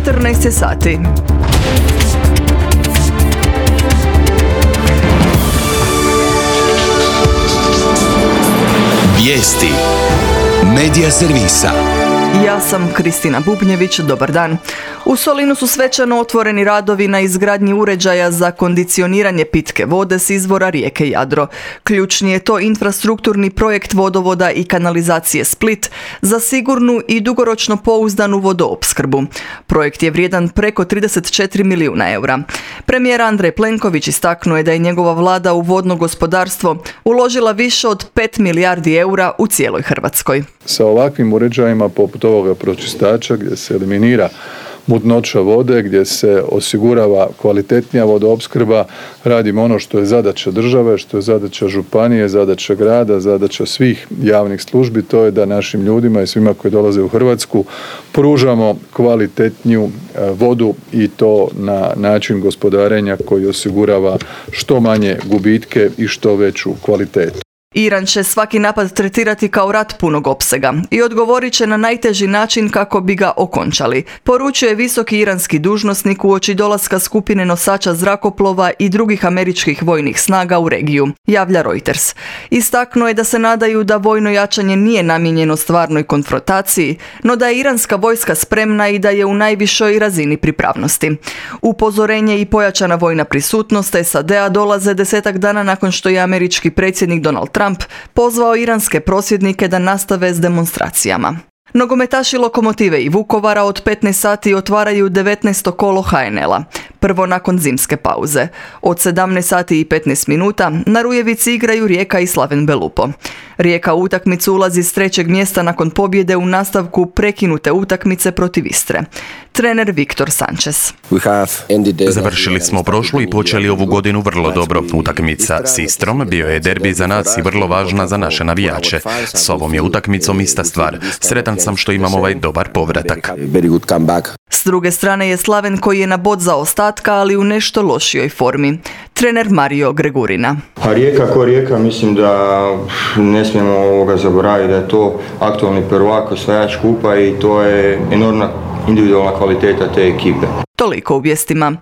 14 sati. Vijesti Medija servisa. Ja sam Kristina Bubnjević, dobar dan. U Solinu su svečano otvoreni radovi na izgradnji uređaja za kondicioniranje pitke vode s izvora rijeke Jadro. Ključni je to infrastrukturni projekt vodovoda i kanalizacije Split za sigurnu i dugoročno pouzdanu vodoopskrbu. Projekt je vrijedan preko 34 milijuna eura. Premijer Andrej Plenković istaknuo je da je njegova vlada u vodno gospodarstvo uložila više od 5 milijardi eura u cijeloj Hrvatskoj. Sa ovakvim uređajima poput ovoga pročistača gdje se eliminira mutnoća vode, gdje se osigurava kvalitetnija vodoopskrba, radimo ono što je zadaća države, što je zadaća županije, zadaća grada, zadaća svih javnih službi, to je da našim ljudima i svima koji dolaze u Hrvatsku pružamo kvalitetniju vodu i to na način gospodarenja koji osigurava što manje gubitke i što veću kvalitetu. Iran će svaki napad tretirati kao rat punog opsega i odgovorit će na najteži način kako bi ga okončali, poručuje visoki iranski dužnosnik uoči dolaska skupine nosača zrakoplova i drugih američkih vojnih snaga u regiju, javlja Reuters. Istaknuo je da se nadaju da vojno jačanje nije namijenjeno stvarnoj konfrontaciji, no da je iranska vojska spremna i da je u najvišoj razini pripravnosti. Upozorenje i pojačana vojna prisutnost SAD-a dolaze 10 dana nakon što je američki predsjednik Donald Trump pozvao iranske prosvjednike da nastave s demonstracijama. Nogometaši Lokomotive i Vukovara od 15 sati otvaraju 19. kolo HNL-a, prvo nakon zimske pauze. Od 17 sati i 15 minuta na Rujevici igraju Rijeka i Slaven Belupo. Rijeka u utakmicu ulazi s 3. mjesta nakon pobjede u nastavku prekinute utakmice protiv Istre. Trener Viktor Sanchez. Završili smo prošlu i počeli ovu godinu vrlo dobro. Utakmica s Istrom bio je derbi za nas i vrlo važna za naše navijače. S ovom je utakmicom ista stvar. Sretan sam što imam ovaj dobar povratak. S druge strane je Slaven koji je na bod zaostatka, ali u nešto lošijoj formi. Trener Mario Gregurina. A Rijeka ko Rijeka, mislim da ne smijemo zaboraviti da je to aktualni prvak, osvajač kupa i to je enormna individualna kvaliteta te ekipe. Toliko u vijestima.